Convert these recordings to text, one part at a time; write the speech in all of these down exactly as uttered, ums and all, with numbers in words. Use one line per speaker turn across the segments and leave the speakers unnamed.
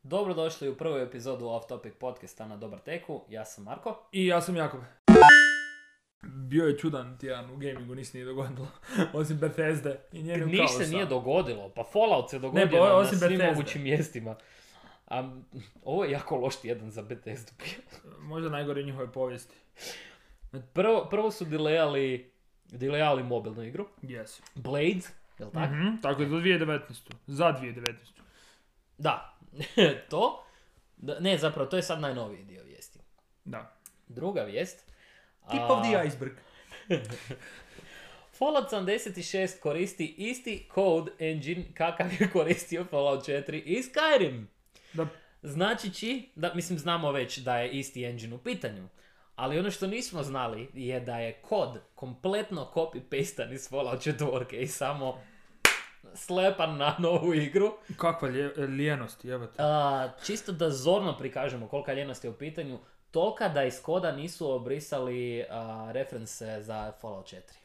Dobrodošli u prvu epizodu Off Topic podcasta na Dobar teku. Ja sam Marko.
I ja sam Jakob. Bio je čudan tjedan u gamingu, ništa nije dogodilo. Osim Bethesde i njenim
Ništa
kaosa.
se nije dogodilo. Pa Fallout se dogodio
Ne, pa
na, na
osim
svim
Bethesde.
mogućim mjestima. A, ovo je jako loš tjedan za Bethesdu.
Možda najgore njihove povijesti.
Prvo, prvo su delayali, delayali mobilnu igru.
Yes.
Blades, jel tako?
Mm-hmm. Tako je, do dvije tisuće devetnaeste. Za dvije tisuće devetnaeste.
Da, to. Da, ne, zapravo, to je sad najnoviji dio vijesti.
Da.
Druga vijest.
Tip
a,
of the iceberg.
Fallout sedamdeset šest koristi isti code engine kakav je koristio Fallout četiri i Skyrim.
Da.
Značići, da, mislim znamo već da je isti engine u pitanju, ali ono što nismo znali je da je kod kompletno copy-pastan iz Fallout četiri i samo slepan na novu igru.
Kakva lje, lijenost, jebate.
A, čisto da zorno prikažemo kolika ljenost je u pitanju, tolika da iz koda nisu obrisali a, reference za Fallout četiri.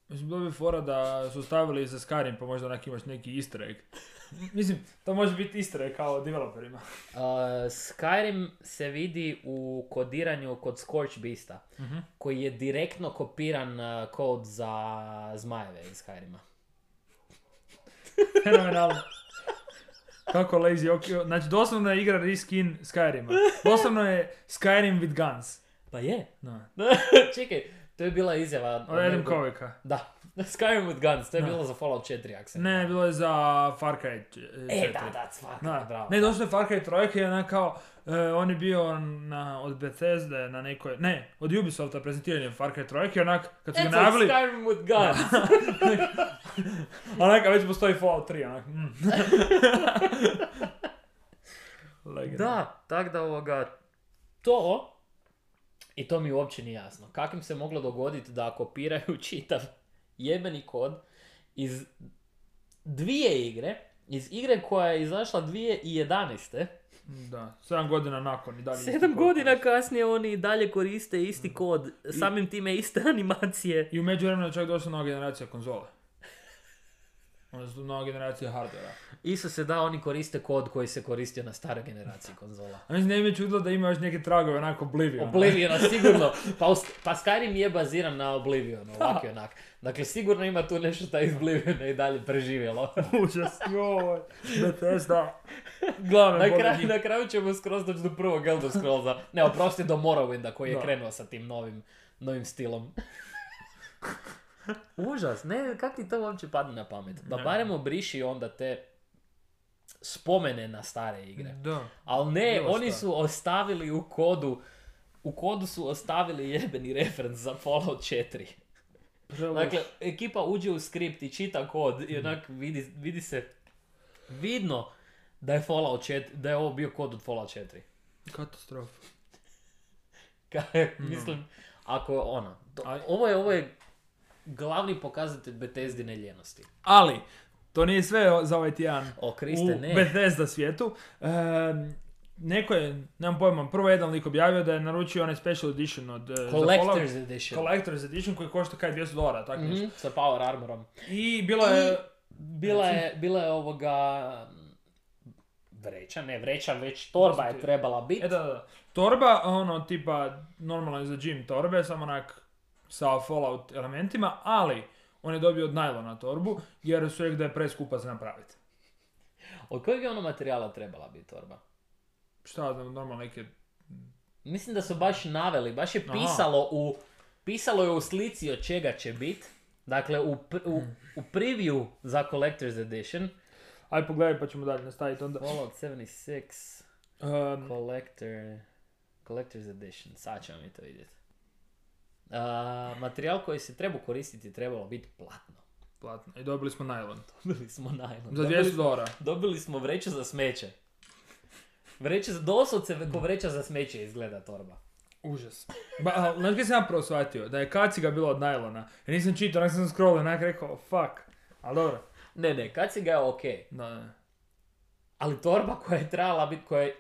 Mislim, bilo bi fora da su stavili za Skyrim, pa možda onak imaš neki easter egg. Mislim, to može biti easter egg kao developerima.
Uh, Skyrim se vidi u kodiranju kod Scorch Beasta,
Uh-huh.
koji je direktno kopiran uh, kod za zmajeve iz Skyrima.
Fenomenalno. Kako lazy, ok. Znači, doslovno je igra reskin Skyrima. Doslovno je Skyrim with guns.
Pa je.
No.
Čekaj, to je bila izjava...
Od Adam Kovika.
Da, Skyrim with guns, to je
Da.
bilo za Fallout četiri, ako se
Ne, bilo je za Far Cry četiri.
E, da, da, Far Cry,
Da.
bravo.
Ne, došlo je Far Cry trojka i onak kao, uh, on je bio na, od Bethesde na nekoj, ne, od Ubisofta prezentiranje Far Cry trojke, onak, kad su ga
It's like
najavili,
Skyrim with guns.
onak, a već postoji Fallout tri, onak, mm. Legendarno.
Da, tak da ovoga, to, i to mi uopće nije jasno, kako im se moglo dogoditi da kopiraju čitav jebeni kod iz dvije igre, iz igre koja je izašla dvije tisuće jedanaeste.
Da, sedam godina nakon i dalje.
Sedam
isti
godina
podcast.
kasnije oni i dalje koriste isti kod, samim time iste animacije.
I u međuvremenu je čak došla nova generacija konzola. Onda su nova generacija hardvera.
Isto se da, oni koriste kod koji se koristio na staroj generaciji konzola.
A mislim, ne mi je čudilo da ima još neke tragove, onako Oblivion.
Obliviona, sigurno. Pa, us- pa Skyrim je baziran na Oblivionu, ovak i onak. Dakle, sigurno ima tu nešto šta je iz Obliviona i dalje preživjelo.
Užas, joj, Bethesda. Glavne
Na,
boge
kraju,
njih.
na kraju ćemo skroz doći do prvog Elder Scrollsa. Ne, oprosti, do Morrowinda koji je
Da.
krenuo sa tim novim, novim stilom. Užas, ne, kak ti to uopće padne na pamet? Da
Ne.
barem obriši onda te spomene na stare igre.
Da.
Ali ne,
Bilo
oni
šta.
su ostavili u kodu, u kodu su ostavili jebeni reference za Fallout četiri.
Preloš.
Dakle, ekipa uđe u skript i čita kod i onak vidi, vidi se vidno da je Fallout četiri, da je ovo bio kod od Fallout četiri.
Katastrofa.
Ka- Mislim, ako ono, to,
Ali-
ovo je, ovo je glavni pokazatelj Bethesdine ljenosti.
Ali, to nije sve o- za ovaj tjedan
O, Kriste,
u
ne.
Bethesda svijetu. Ehm, neko je, nemam pojma, prvo jedan lik objavio da je naručio onaj special edition od uh,
Collector's Edition.
Collector's edition koji košta kaj dvjesto dolara, tako nešto.
Mhm, sa Power Armorom.
I bilo je...
Bila je, bila je ovoga vreća, ne vreća, već torba je trebala biti.
E da, da, da. Torba, ono, tipa, normalno je za gym torbe, samo onak sa Fallout elementima, ali on je dobio od najlona torbu, jer su rekli da je preskupa za napraviti.
Od kojeg je ono materijala trebala biti torba?
Šta znam, normalno neke...
Mislim da su baš naveli, baš je
Aha.
pisalo u, pisalo je u slici od čega će biti. Dakle, u, pr- u, u preview za Collector's Edition.
Aj pogledaj pa ćemo dalje nastaviti onda.
Fallout sedamdeset šest
Um,
Collector, Collector's Edition, sad ćemo mi to vidjeti. Uh, materijal koji se treba koristiti trebalo biti platno.
platno. I dobili smo najlon.
Dobili smo najlon.
Za
Dobili
dvjesto
smo-
dolara.
Dobili smo vreću za smeće. Vreća za, doslovce ko vreća za smeće izgleda torba.
Užas. Ba, a, znaš kaj sam ja prvo shvatio? Da je kaciga bila od najlona. Jer nisam čitao, onak sam scrollao, onak rekao, fuck. Ali dobro.
Ne, ne, kaciga je ok.
Da, ne.
Ali torba koja je trebala biti, koja je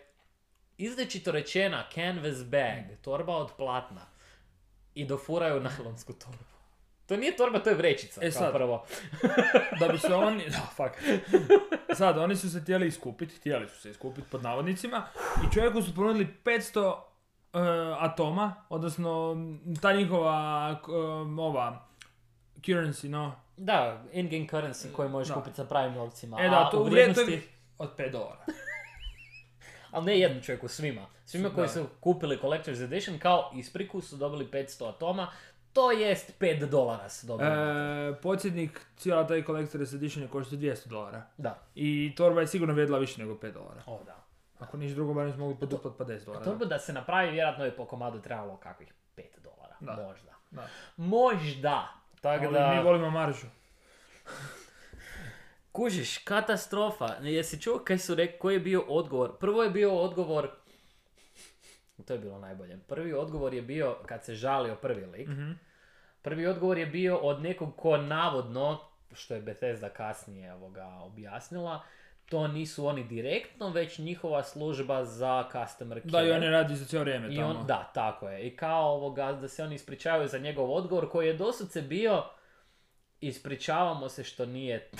izrečito rečena canvas bag, torba od platna. I dofuraju najlonsku torbu. To nije torba, to je vrećica,
E
kao
sad.
prvo.
Da bi se oni... Da, fuck. Sad, oni su se htjeli iskupiti, htjeli su se iskupiti pod navodnicima i čovjeku su ponudili petsto uh, atoma, odnosno ta njihova uh, ova currency, no?
Da, in-game currency koji možeš
Da.
kupiti sa pravim novcima.
E da,
a
to
u
u vrijednosti
vrijednosti...
od pet dolara.
Ali ne jednom čovjeku, svima. Svima koji
Da.
su kupili Collector's Edition kao ispriku su dobili petsto atoma, to jest pet dolara su dobili.
E, podsjetnik, cijela taj Collector's Edition je košta dvjesto dolara.
Da.
I torba je sigurno vrijedila više nego pet dolara.
O, da.
Ako niš drugo, barem smo mogli poduplat pa deset dolara.
Torba da se napravi, vjerojatno je po komadu trebalo kakvih pet dolara.
Da.
Možda.
Da.
Možda. Tako
Ali
da...
mi volimo maržu.
Kužiš, katastrofa. Jesi čuo kaj su rekli, koji je bio odgovor? Prvo je bio odgovor, to je bilo najbolje. Prvi odgovor je bio, kad se žalio prvi lik,
Mm-hmm.
prvi odgovor je bio od nekog ko navodno, što je Bethesda kasnije ovoga objasnila, to nisu oni direktno, već njihova služba za customer care.
Da, i oni radi za cijelo vrijeme
I
tamo.
on, da, tako je. I kao ovoga, da se oni ispričavaju za njegov odgovor koji je doslovce bio ispričavamo se što nije,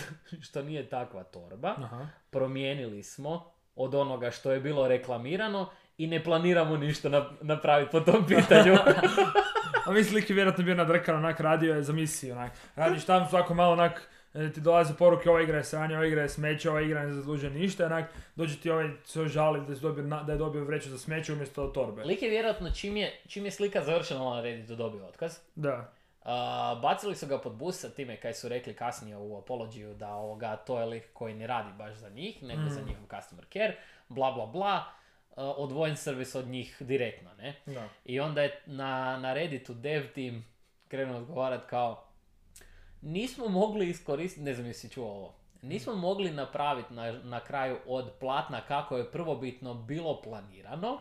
što nije takva torba.
Aha.
Promijenili smo od onoga što je bilo reklamirano i ne planiramo ništa na, napraviti po tom pitanju.
A misli lik je vjerojatno bio nadrkan, onak radio je za misiju, onak. Radiš tamo svako malo, onak, e, ti dolaze poruke, ova igra je sranje, ova igra je smeće, ova igra ne zaslužuje ništa, onak, dođe ti ovaj se žali da je dobio, na- da je dobio vreću za smeće umjesto torbe.
Lik je vjerojatno čim je, čim je slika završena na Redditu dobio otkaz.
Da.
Uh, bacili su ga pod bus sa time kaj su rekli kasnije u apologiju da ovoga, to je lik koji ne radi baš za njih, nego
Mm.
za njihov customer care, bla bla bla, uh, odvojen servis od njih direktno, ne?
Da.
I onda je na, na Redditu dev team krenuo odgovarat kao nismo mogli iskoristiti, ne znam jesi čuo ovo, nismo mogli napraviti na, na kraju od platna kako je prvobitno bilo planirano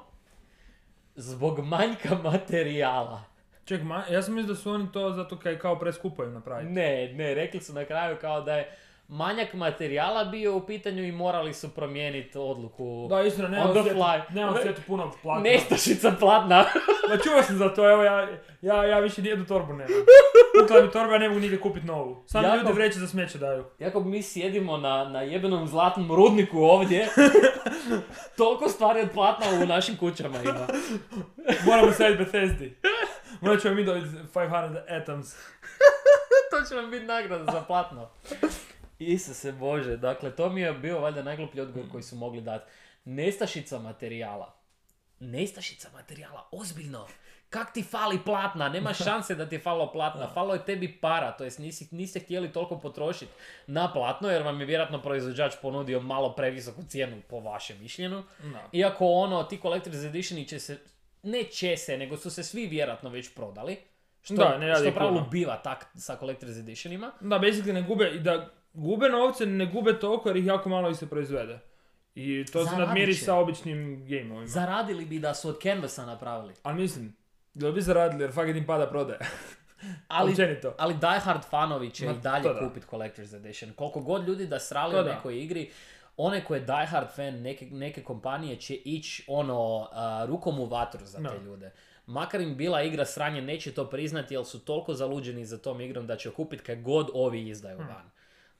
zbog manjka materijala.
Ček, ma, ja sam mislio da su oni to zato kaj kao preskupo im napraviti.
Ne, ne, rekli su na kraju kao da je manjak materijala bio u pitanju i morali su promijeniti odluku.
Da, istina, nema
On
u
the
svijetu,
fly.
nema u svijetu puno platna.
Nestašica platna.
Ma čuo sam za to, evo ja, ja, ja više nijednu torbu nemam. Kukla mi torba, ja ne mogu nigdje kupiti novu. Samo
Jako-
ljudi vreće za smeće daju.
Jako mi sjedimo na, na jebenom zlatnom rudniku ovdje, toliko stvari od platna u našim kućama ima.
Moramo staviti Bethesdi. Morat ćemo mi dobiti petsto atoms.
To će nam biti nagrada za platno. Isuse Bože, dakle to mi je bio valjda najgluplji odgovor koji su mogli dati. Nestašica materijala. Nestašica materijala, ozbiljno. Kak ti fali platna? Nema šanse da ti je falilo platna. Falo je tebi para, to jest nisi, niste htjeli toliko potrošiti na platno jer vam je vjerojatno proizvođač ponudio malo previsoku cijenu po vašem mišljenju.
No.
Iako ono, ti Collector's Editioni će se, ne će se, nego su se svi vjerojatno već prodali. Što,
Da, ne radi
što u pravilu
puno.
biva tak sa Collector's Editionima.
Da, basically ne gube, i da gube novce, ne gube toliko jer ih jako malo ih se proizvede. I to se
Zaradit
nadmiri
će.
sa običnim gameovima.
Zaradili bi da su od Canvasa napravili.
Ali mislim, da bi zaradili jer fakat im pada prodaje.
Ali,
Općenito.
ali Die Hard fanovi će
Ma,
i dalje
to da.
kupiti Collector's Edition. Koliko god ljudi da srali
To
u
da.
nekoj igri, onaj ko je Die Hard fan neke, neke kompanije će ići ono, a, rukom u vatru za te
Da.
ljude. Makar im bila igra sranje, neće to priznati jer su toliko zaluđeni za tom igrom da će kupiti kaj god ovi izdaju
Hmm.
van.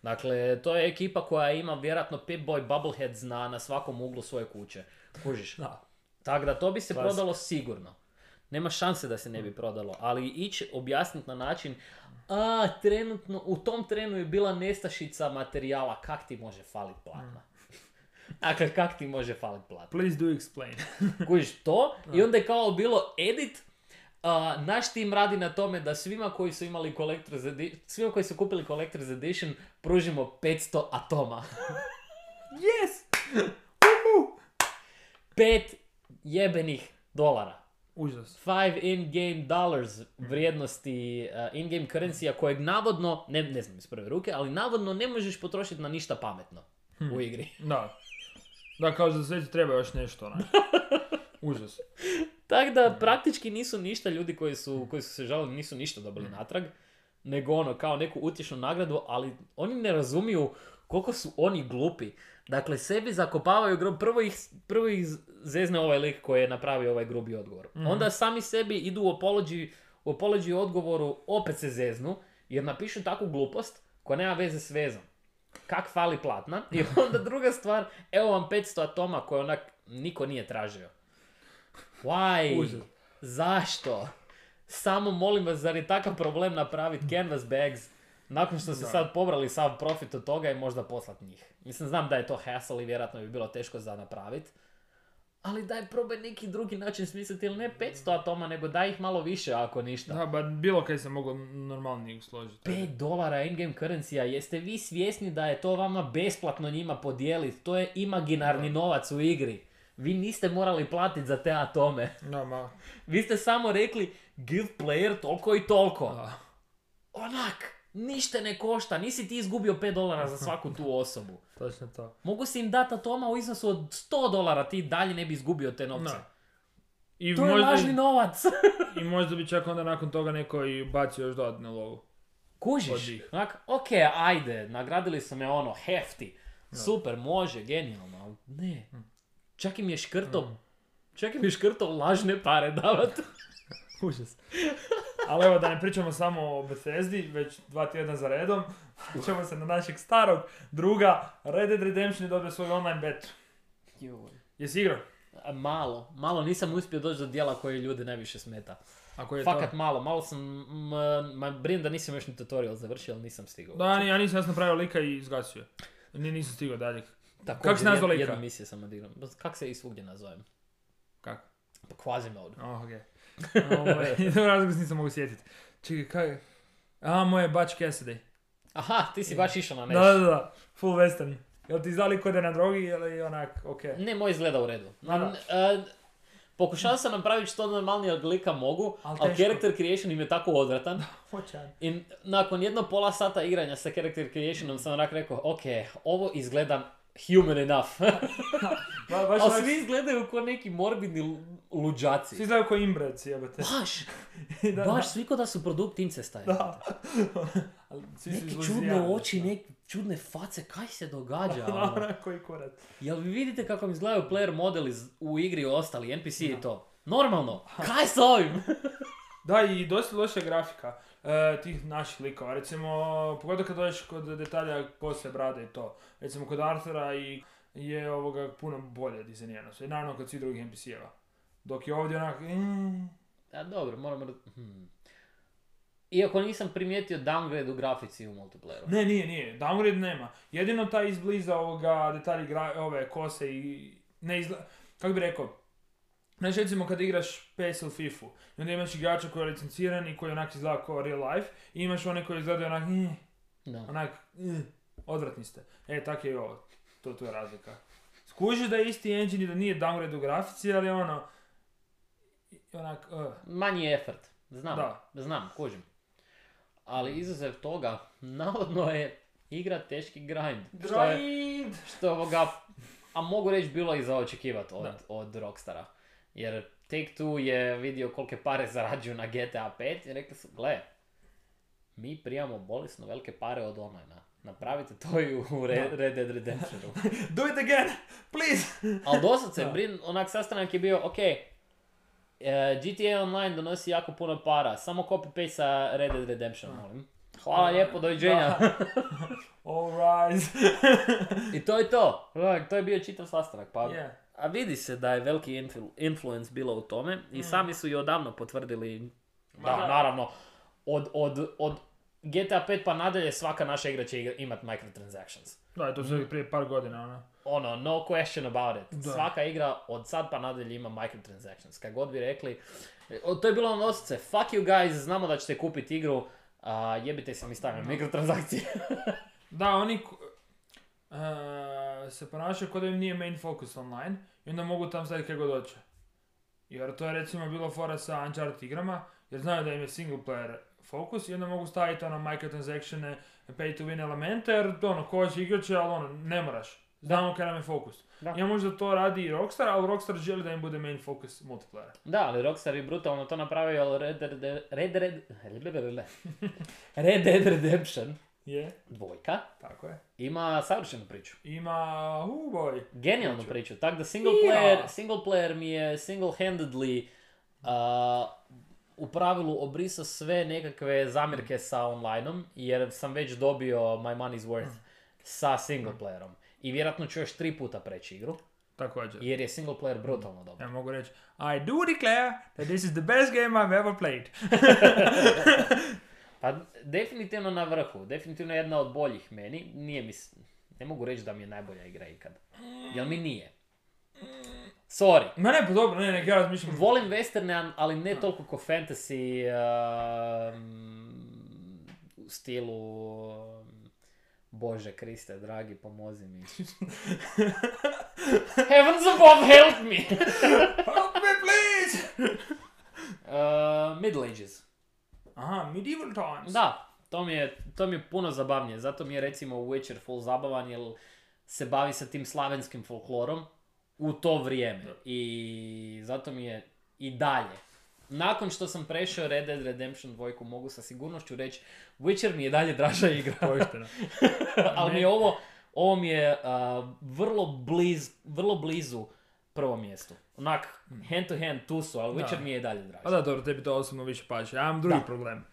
Dakle, to je ekipa koja ima vjerojatno Pip-Boy Bubbleheads na, na svakom uglu svoje kuće. Kužiš?
Da.
Tako da to bi se
Klasika.
prodalo sigurno. Nema šanse da se ne bi prodalo, ali ići objasniti na način a, trenutno, u tom trenu je bila nestašica materijala, kak ti može falit platna? Dakle, kak ti može falit platna?
Please do explain.
Kužiš to? I onda je kao bilo edit, a, naš tim radi na tome da svima koji su imali Collector's Edition, svima koji su kupili Collector's Edition, pružimo petsto atoma.
Yes!
Pet jebenih dolara.
Užas.
Five in-game dollars vrijednosti uh, in-game currency-a kojeg navodno, ne, ne znam iz prve ruke, ali navodno ne možeš potrošiti na ništa pametno u igri.
Da. Da, kao za sve ti treba još nešto, ne? Užas.
Tako da praktički nisu ništa ljudi koji su, koji su se žalili, nisu ništa dobili natrag, nego ono kao neku utješnu nagradu, ali oni ne razumiju koliko su oni glupi. Dakle, sebi zakopavaju grob, prvo ih, prvo ih zezne ovaj lik koji je napravio ovaj grubi odgovor.
Mhm.
Onda sami sebi idu u apology, u apology odgovoru, opet se zeznu, Jer napišu takvu glupost koja nema veze s vezom. Kak fali platna? I onda druga stvar, evo vam petsto atoma koje onak niko nije tražio. Why?
Užas.
Zašto? Samo molim vas, zar je takav problem napraviti canvas bags nakon što su
Da.
sad pobrali sav profit od toga i možda poslat njih. Mislim, znam da je to hassle i vjerojatno bi bilo teško za napraviti. Ali daj probaj neki drugi način smisliti, ili ne petsto atoma, nego daj ih malo više ako ništa.
Da, ba bilo kaj se moglo normalnije složiti.
pet dolara in-game currency-a, jeste vi svjesni da je to vama besplatno njima podijeliti? To je imaginarni novac u igri. Vi niste morali platiti za te atome.
Da, ma,
Vi ste samo rekli, give player toliko i toliko.
da.
Onak, ništa ne košta, nisi ti izgubio pet dolara za svaku tu osobu.
Točno to.
Mogu si im dati atoma u iznosu od sto dolara, ti dalje ne bi izgubio te novce.
Da. I
To je
možda,
lažni novac.
I možda bi čak onda nakon toga neko i bacio još dodatnu lovu. Od
Kužiš?
njih.
Onak, ok, ajde, nagradili su me ono, hefti. Super, može, genijalno, ali ne. Čak im je škrto, čak im je škrto lažne pare davat.
Užas. Ali evo, da ne pričamo samo o Bethesdi, već dva tjedna za redom, ćemo se na našeg starog druga, Red Dead Redemption je dobio svoj online beta. Jesi igrao?
A, Malo, malo nisam uspio doći do dijela koje ljude najviše smeta.
Ako je
Fakat
to...
malo, malo sam, m, ma brin da nisam još ni tutorial završio, ali nisam stigao.
Da, ni- ja nisam jasno napravio lika i izgasio. Ni, nisam stigao dalje.
Također,
Kako si nazvao
jed-
lika?
Jednu misiju sam odigrao. Kak se i svugdje nazovem?
Kako?
Pa Quasimodo.
Oh, okej. Ovaj, to razlog se nisam mogu sjetiti. Čekaj, kaj? A, moje Butch Cassidy.
Aha, ti si baš išao na
Da,
nešto.
da, da. Full western. Jel ti znali kod je na drogi ili onak, okej?
Ne, moj izgleda u redu.
Da, da.
N- e, pokušao sam napraviti što normalnijeg lika mogu,
Al
ali
teško.
character creation im je tako odvratan.
Hoćan.
I nakon jedno pola sata igranja sa character creationom sam onak rekao, ok, ovo izgleda human enough.
Ba, baš
Ali
onak-
svi izgledaju kao neki morbidni lu- luđaci.
Svi izgledaju kao imbreci, jebate.
Baš,
Da,
baš, svi ko da su produkt incesta. je.
Da. Ali svi su
Neke
izluzijani,
čudne oči,
da.
neke čudne face, kaj se događa?
Da,
ono?
onak koji kurat.
Jel vi vidite kako mi izgledaju player modeli z- u igri i ostali, N P C i to? Normalno, kaj s ovim?
Da, i dosta loša grafika e, tih naših likova. Recimo, pogotovo kad dođeš kod detalja poslije brade i to. Recimo, kod Arthura i je ovoga puno bolje dizajnirano. I naravno kod svih drugih N P C-eva. Dok je ovdje onak... Mm,
A dobro, moramo... Hmm. Iako nisam primijetio downgrade u grafici u multiplayeru.
ne, nije, nije. Downgrade nema. Jedino taj izbliza ovoga detalji gra, ove kose i... Ne izgleda... Kako bi rekao? Znači, recimo kad igraš P S ili FIFA i onda imaš igrača koji je licenciran i koji onak izgleda kao real life i imaš one koji izgledaju onak... Mm,
Da.
onak, mm, odvratni ste. E, tak je i ovo. To, to je razlika. Skužiš da je isti engine i da nije downgrade u grafici, ali ono... i- Onak, uh,
Manji effort. Znam,
Da.
znam, kužim. Ali izuzev toga, navodno je igra teški grind. Što je,
grind!
što je ovoga, a mogu reći bilo i za očekivati od,
Da.
od Rockstara. Jer Take-Two je vidio kolike pare zarađuju na G T A pet i rekli su, gle, mi primamo bolesno velike pare od online-a. Napravite to i u Red,
Da.
Red Dead Redemptionu.
Do it again! Please!
Ali doslovce,
Da.
brin, onak sastanak je bio, ok, e, G T A Online donosi jako puno para, samo copy-paste sa Red Dead Redemption, molim. Hvala lijepo, doviđenja.
All rise!
I to je to. Onak, to je bio čitav sastanak. Pa,
Yeah.
a vidi se da je veliki influ- influence bilo u tome i sami su i odavno potvrdili,
Ma
da,
da.
naravno, od, od, od G T A pet pa nadalje svaka naša igra će igra- imat microtransactions.
Da, to su prije par godina, ono.
Ono, no question about it.
Da.
Svaka igra od sad pa nadalje ima microtransactions. Kad god bi rekli, o, to je bilo ono osjećaj, fuck you guys, znamo da ćete kupiti igru, a jebite se mi stavimo mikrotransakcije.
Da, oni ku- e, se ponašaju kao da im nije main focus online i onda mogu tam staviti kaj god hoće. Jer to je recimo bilo fora sa Uncharted igrama, jer znaju da im je single player fokus i onda mogu staviti ono microtransactione, pay to win elemente, jer ono, ko će igrat će, ali ono, ne moraš. Znamo kaj nam je fokus.
Da.
Ja možda to radi i Rockstar, ali Rockstar želi da im bude main focus multiplayer.
Da, ali Rockstar je brutalno to napravio, ali Red Dead, Red, Red, Red, Red Dead Redemption
Je,
dvojka
tako je.
ima savršenu priču.
Ima, uh boy.
Genijalnu
Priču.
priču. Tako da single
Ja.
player, single player mi je single-handedly uh, u pravilu obrisao sve nekakve zamjerke sa online-om, jer sam već dobio my money's worth sa single playerom. I vjerojatno ću još tri puta preći igru,
Također.
jer je single player brutalno dobro.
Ja mogu reći, I do declare that this is the best game I've ever played.
Pa definitivno na vrhu, definitivno jedna od boljih meni, nije mi, s- ne mogu reći da mi je najbolja igra ikad. Jel mi nije? Sorry.
Ma ne, pa dobro, ne, ne, ja razmišljam.
Volim westerne, ali ne toliko ko fantasy um, u stilu um, Bože Kriste, dragi, pomozi mi. Heavens above, help me!
Help me, please!
uh, Middle Ages.
Aha, medieval times.
Da, to mi, je, to mi je puno zabavnije. Zato mi je recimo Witcher full zabavan, jer se bavi sa tim slavenskim folklorom u to vrijeme. I zato mi je i dalje. Nakon što sam prešao Red Dead Redemption dva, mogu sa sigurnošću reći, Witcher mi je dalje draža igra.
Pošteno.
Ali mi je ovo, ovo mi je uh, vrlo, bliz, vrlo blizu prvom mjestu. Onak, hand to hand tu su, ali
Da.
Witcher mi je i dalje draži.
Pa da, dobro, tebi to osobno više paše. Ja imam drugi
Da.
problem.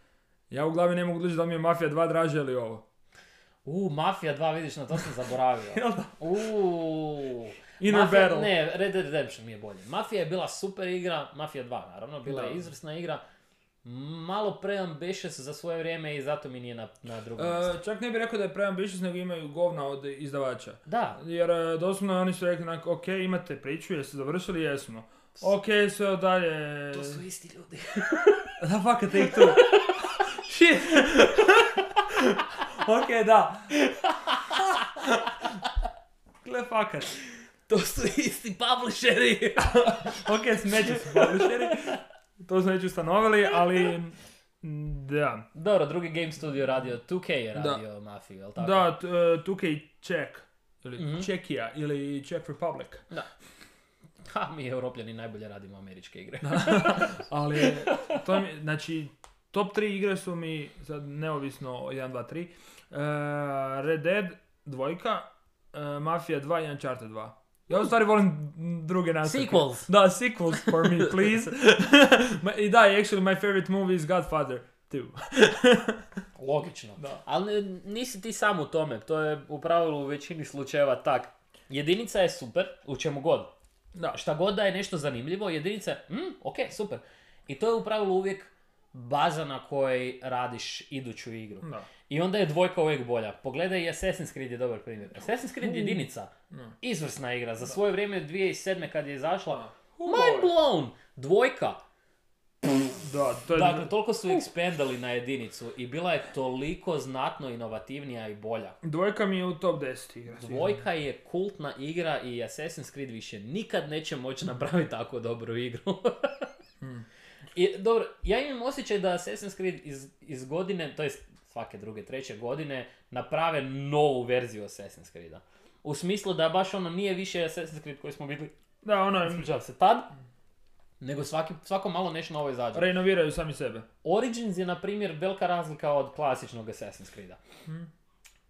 Ja u glavi ne mogu odlučiti da mi je Mafija dva draže ili ovo.
U, Mafija dva, vidiš, na to sam zaboravio.
Jel da?
Uuu.
Inner
Mafia,
Battle.
ne, Red Dead Redemption mi je bolje. Mafija je bila super igra, Mafija dva naravno, bila
Da.
je izvrsna igra. Malo preambitious za svoje vrijeme i zato mi nije na, na drugom mjestu.
E, čak ne bih rekao da je preambitious, nego imaju govna od izdavača.
Da,
Jer e, doslovno oni su rekli, onak, ok, imate priču, jeste završili, jesmo. Ok, sve dalje...
to su isti ljudi.
Da, fakat, take two. Shit. Ok, da. Gle, fakat.
To su isti publisheri.
Ok, smeće su publisheri. To smo već ustanovili, ali... mm, Da.
Dobro, drugi Game Studio radio, two K je
Da.
radio Mafiju, jel tako?
Da, t- e, two K Czech. Ili
Mhm.
Čekija, ili Czech Republic.
Da. Ha, mi Europljani najbolje radimo američke igre.
Ali, to mi, znači, top tri igre su mi, sad neovisno jedan, dva, tri, uh, Red Dead, dvojka, uh, Mafia dva i Uncharted dva. Ja u stvari volim druge nastavke.
Sequels.
Da, sequels for me, please. Ma- I da, actually my favorite movie is Godfather two.
Logično.
Da.
Ali ne- nisi ti sam u tome, to je u pravilu u većini slučajeva tak. Jedinica je super, u čemu god.
Da.
Šta god da je nešto zanimljivo, jedinica je, mm, ok, super. I to je u pravilu uvijek baza na kojoj radiš iduću igru.
Da.
I onda je dvojka uvijek bolja. Pogledaj i Assassin's Creed je dobar primjer. Assassin's Creed
Uh.
jedinica,
Da.
izvrsna igra. Za svoje vrijeme dvije tisuće sedme kad je izašla,
Uh,
mind blown! Dvojka.
Da, to je...
Dakle, toliko su ekspandali na jedinicu i bila je toliko znatno inovativnija i bolja.
Dvojka mi je u top deset igra.
Dvojka je kultna igra i Assassin's Creed više nikad neće moći napraviti tako dobru igru.
Hmm.
I, dobro, ja imam osjećaj da Assassin's Creed iz, iz godine, to jest svake druge, treće godine, naprave novu verziju Assassin's Creeda. U smislu da baš ono nije više Assassin's Creed koji smo vidjeli,
Da, ono,
ispričavam se, tad, nego svaki, svako malo nešto novo izađe.
renoviraju sami sebe.
Origins je, na primjer, velika razlika od klasičnog Assassin's Creeda.
Hmm.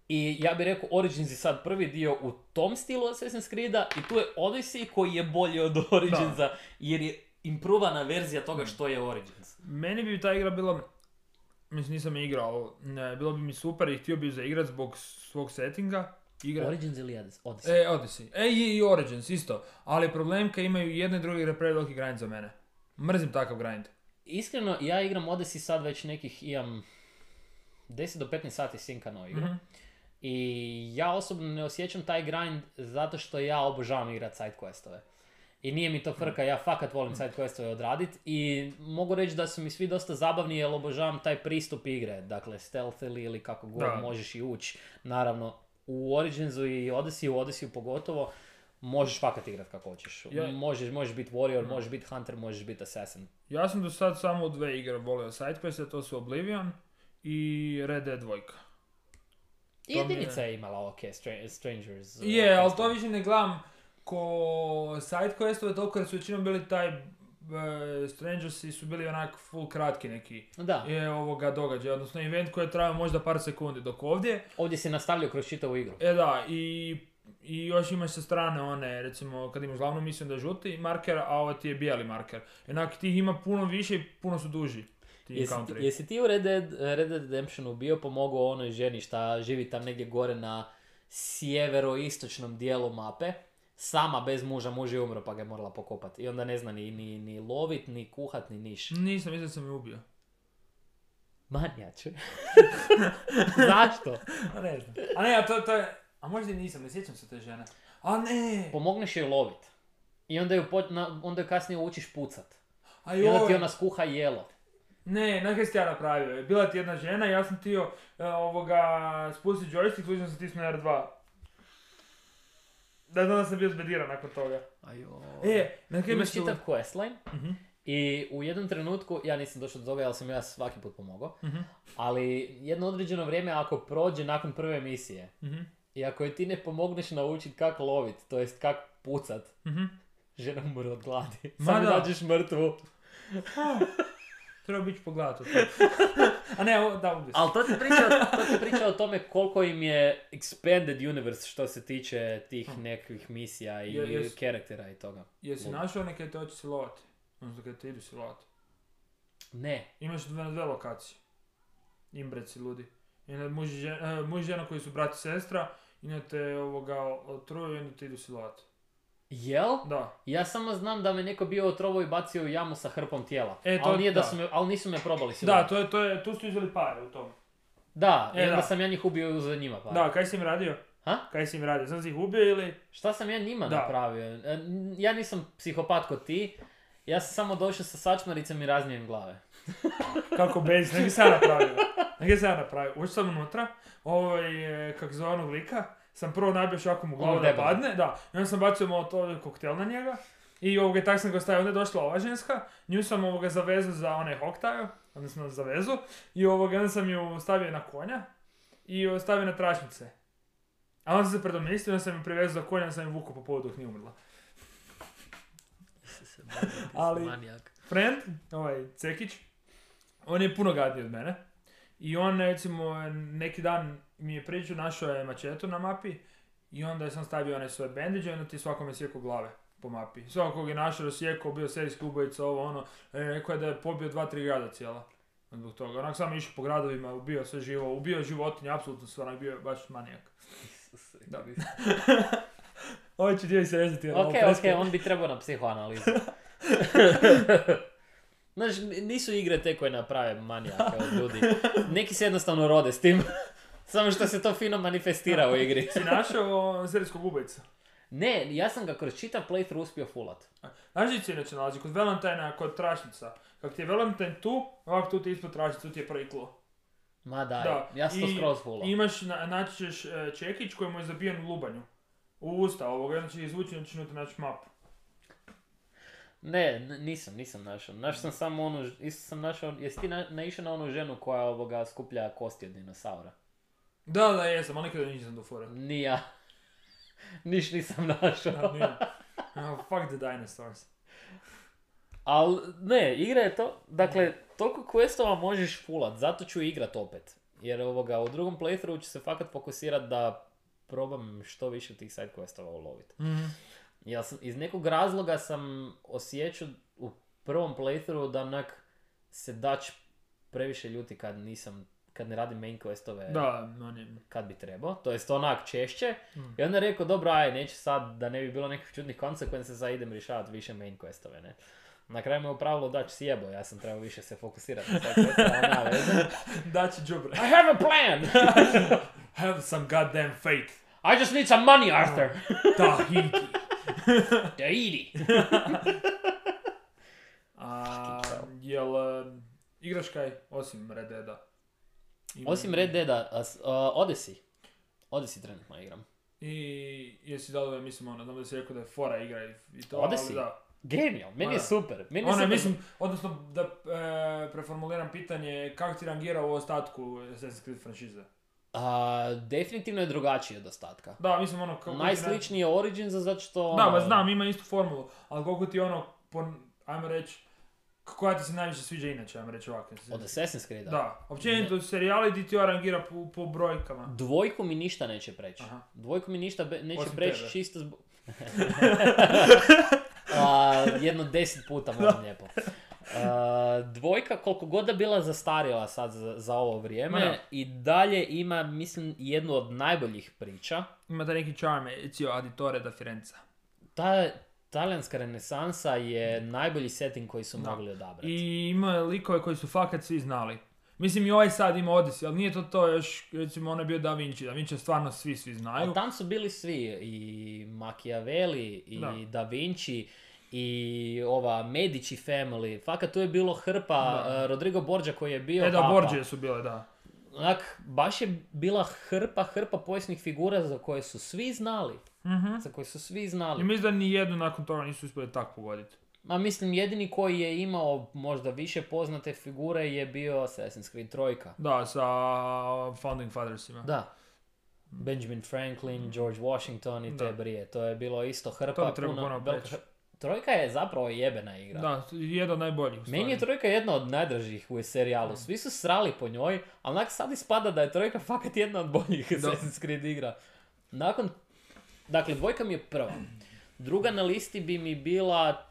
I ja bih rekao, Origins je sad prvi dio u tom stilu Assassin's Creeda i tu je Odyssey koji je bolji od Originsa, jer je improvana verzija toga što je Origins.
Meni bi ta igra bila, mislim nisam je igrao, ne, bilo bi mi super i htio bih zaigrat zbog svog settinga. Igra.
Origins ili Odyssey?
E, Odyssey. E, i, i Origins, isto. Ali problem kad imaju jedne i druge igre preveliki grind za mene. Mrzim takav grind.
Iskreno, ja igram Odyssey sad već nekih, imam deset do petnaest sati sinkano igru.
Mhm.
I ja osobno ne osjećam taj grind zato što ja obožavam igrat side questove. I nije mi to frka, ja fakat volim side questove odradit i mogu reći da su mi svi dosta zabavni jer obožavam taj pristup igre. Dakle, stealthily ili kako god
Da.
možeš i ući. Naravno, u Originsu i Odyssey, u Odyssey pogotovo, možeš fakat igrat kako hoćeš.
Ja-
Možeš, možeš biti warrior, možeš biti hunter, možeš biti assassin.
Ja sam do sad samo u dve igre volio sidequeste, to su Oblivion i Red Dead dva.
I
To mi je-
jedinica je imala ok, Stra- Strangers. uh,
Je, ali
questove.
to više ne gledam ko sidequestove, toliko jer su većinom bili taj uh, Strangersi su bili onak full kratki neki
Da,
je ovoga događaja, odnosno event koji je trajao možda par sekundi, dok ovdje,
ovdje si nastavljao kroz čitavu igru.
e da, i I još imaš sa strane one, recimo, kad imaš glavnu misiju da je žuti marker, a ovo ti je bijeli marker. Jednak tih ima puno više i puno su duži. Ti
Jesi,
encounteri.
ti- jesi ti u Red Dead, Red Dead Redemptionu bio pomogao onoj ženi šta živi tam negdje gore na sjeveroistočnom dijelu mape, sama bez muža, muž je umro pa ga je morala pokopati. I onda ne zna ni, ni, ni lovit, ni kuhat, ni niš.
Nisam, mislim da sam je ubio.
Manjače. Zašto?
A ne znam. A ne, a to, to je... A možda i nisam, ne sjećam se te žene. A ne!
Pomogneš joj lovit. I onda ju, po, na, onda ju kasnije učiš pucat.
A
I onda ti
joj!
ona skuha jelo.
Ne, na kaj si ja napravio? Bila ti jedna žena, ja sam tio e, ovoga, spusti joystick, slučajno sam stisnuo R dva. Da, da sam bio zbediran nakon toga.
Ajo.
E, na kaj
Imaš
mislim...
čitav questline
Mhm,
i u jednom trenutku, ja nisam došao do toga, jer sam ja svaki put pomogao,
mhm,
ali jedno određeno vrijeme ako prođe nakon prve misije
mhm,
i ako je ti ne pomogneš naučiti kako lovit, to jest kako pucat,
mhm.
žena umre od gladi.
Ma
Samo
da.
nađeš mrtvu.
Treba biti pogledat to. A ne, o, da, ubio sam.
Ali to ti priča, to ti priča o tome koliko im je expanded universe što se tiče tih nekih misija i
Je- jes-
karaktera i toga.
Jesi
Ludo.
našao neke te hoće silovati? Odnosno kad te idu silovati.
Ne.
Imaš dve, dve lokacije. Imbreci ludi. Jedna muž i žena, uh, muž i žena koji su brat i sestra, i onda te ovoga otruju i onda te idu silovati.
Jel?
Da.
Ja samo znam da me neko bio otrovao i bacio u jamu sa hrpom tijela.
E, to-
ali, nije da
da.
su me, ali nisu me probali
Da,
silovati.
to je, to je, tu su izveli pare u tom.
Da,
E,
i onda
da.
sam ja njih ubio za njima. Pa.
Da, kaj si im radio?
Ha?
Kaj si im radio? Sam si ih ubio ili?
Šta sam ja njima
Da.
napravio? E, n- Ja nisam psihopat kod ti. Ja sam samo došao sa sačmaricom i raznio im glave.
Kako bez, nek sam ja napravio. Nek sam ja napravio. Ušao sam unutra, ovaj, e, kak zove onog lika, sam prvo nabio šakom u glavu
Onog
da
debela.
padne, da. I onda sam bacio molotov koktel na njega. I ovoga, tak sam ga stavio, onda je došla ova ženska, nju sam ovoga zavezao za onaj hoktaju, odnosno za vezu, i ovoga, onda sam ju stavio na konja i o, stavio na tračnice. A onda sam se predomislio, onda sam ju privezao za konja, onda sam ju vukao po povodu dok nije umrla. Ali-
Manijak.
Friend, ovaj Cekić, on je puno gadniji od mene. I on, recimo, neki dan mi je pričao, našao je mačetu na mapi i onda sam stavio one svoje bandage i onda ti svakome sjekao glave po mapi. Svakog je našao, sjekao, bio serijski ubojica, ovo ono, e, rekao je da je pobio dva, tri grada cijela. Zbog toga. Onak sam išao po gradovima, ubio sve živo, ubio životinje, apsolutno sve, onak bio baš manijak. Da. Ovo će dio se rezati. jer
Ok,
ovo presko-
ok, on bi trebao na psihoanalizu. Znaš, nisu igre te koje naprave manijake od ljudi. Neki se jednostavno rode s tim. Samo što se to fino manifestira u igri.
Si našao serijskog ubojica?
Ne, ja sam ga kroz čitav playthrough uspio fullat.
Znaš gdje se inače nalazi? Kod Valentina, kod tračnica. Kako ti je Valentine tu, ovako tu ti je ispod tračnice, tu ti je prvi klo.
Ma daj,
Da,
ja sam to
i
skroz fullao.
Imaš, na, naći ćeš e, čekić koji mu je zabijen u lubanju. U usta ovoga, onda će izvući, onda ćeš unutra naći mapu.
Ne, n- nisam, nisam našao. Našao sam samo onu, ž- isto sam našao, jesi ti na, naišao na onu ženu koja ovoga skuplja kosti od dinosaura?
Da, da, jesam, ali nikada nisam do fora.
Ni ja. Niš nisam našao.
Da, nije. Oh, fuck the dinosaurs.
Al ne, igra je to, dakle, toliko questova možeš fullat, zato ću igrat opet. Jer ovoga, u drugom playthroughu ću se fakat fokusirat da probam što više tih side questova ulovit.
Mhm.
Ja sam, iz nekog razloga sam osjećao u prvom playthroughu da onak se Dutch previše ljuti kad nisam, kad ne radim main questove
Da, on je...
kad bi trebao, to jest onak češće.
Mm.
I onda je rekao, dobro, aj, neću sad, da ne bi bilo nekih čudnih konsekvenca, sad idem rješavati više main questove, ne. Na kraju me u pravilu Dutch sjebo, ja sam trebao više se fokusirati na side questove, ali nema veze.
Da će džubre.
I have a plan!
Have some goddamn faith.
I just need some money, Arthur!
Tahiti.
Tahiti!
A, jel, e, igraš kaj, osim Red Deada? Ima-
Osim Red Deada, a s- a, Odyssey. Odyssey trenutno igram.
I jesi dao da je, mislim, ono, znam da si rekao da je fora igra i, i to,
Odyssey?
ali da.
Genijal, meni
Ma
je
da.
super. Meni je
Ono je,
super.
mislim, odnosno da e, preformuliram pitanje, kako ti rangira u ostatku Assassin's Creed franšize?
A, definitivno je drugačije od ostatka.
Da, mislim, ono, kako ti na-
Najsličniji je Origins, zato što...
Da,
ono,
ma znam, ima istu formulu, ali koliko ti ono, pon, ajmo reći, koja ti se najviše sviđa inače, ajmo reći ovako.
Od Assassin's Creed-a?
Da, općenito serijali ti ti rangira po, po brojkama.
Dvojku mi ništa neće preći.
Aha.
Dvojku mi ništa be, neće
Osim
preći
tebe.
čisto zbog... A, jedno deset puta moram lijepo. A, dvojka, koliko god da bila zastarjela sad za, za ovo vrijeme,
Ma da.
i dalje ima, mislim, jednu od najboljih priča.
Ima da neki charm, Ezio Auditore da Firenze.
Ta talijanska renesansa je najbolji setting koji su
Da.
mogli odabrati.
I ima likove koji su fakat svi znali. Mislim i ovaj sad ima Odyssey, ali nije to to još, recimo ono je bio Da Vinci. Da Vinci stvarno svi, svi znaju.
A tam su bili svi, i Machiavelli, i
Da.
Da Vinci, i ova Medici family. Fakat tu je bilo hrpa,
Da.
uh, Rodrigo Borgia koji je bio
E da,
papa.
Borgia su bile, da.
Onak, baš je bila hrpa, hrpa povijesnih figura za koje su svi znali.
Mhm.
Za koje su svi
I
znali.
mislim da ni jednu nakon toga nisu uspjeli tako pogoditi.
Ma mislim, jedini koji je imao možda više poznate figure je bio Assassin's Creed trojka.
Da, sa Founding Fathersima.
Da. Benjamin Franklin, George Washington i te
Da.
brije. To je bilo isto hrpa.
To bi trebalo
puno-
ponovno
velika
preći.
hr- Trojka je zapravo jebena igra.
Da, jedan od najboljih u
Meni je
stvari.
trojka jedna od najdražih u serijalu. Svi su srali po njoj, ali onak sad ispada da je trojka fakat jedna od boljih
Da.
Assassin's Creed igra. Nakon, dakle, dvojka mi je prva. Druga na listi bi mi bila...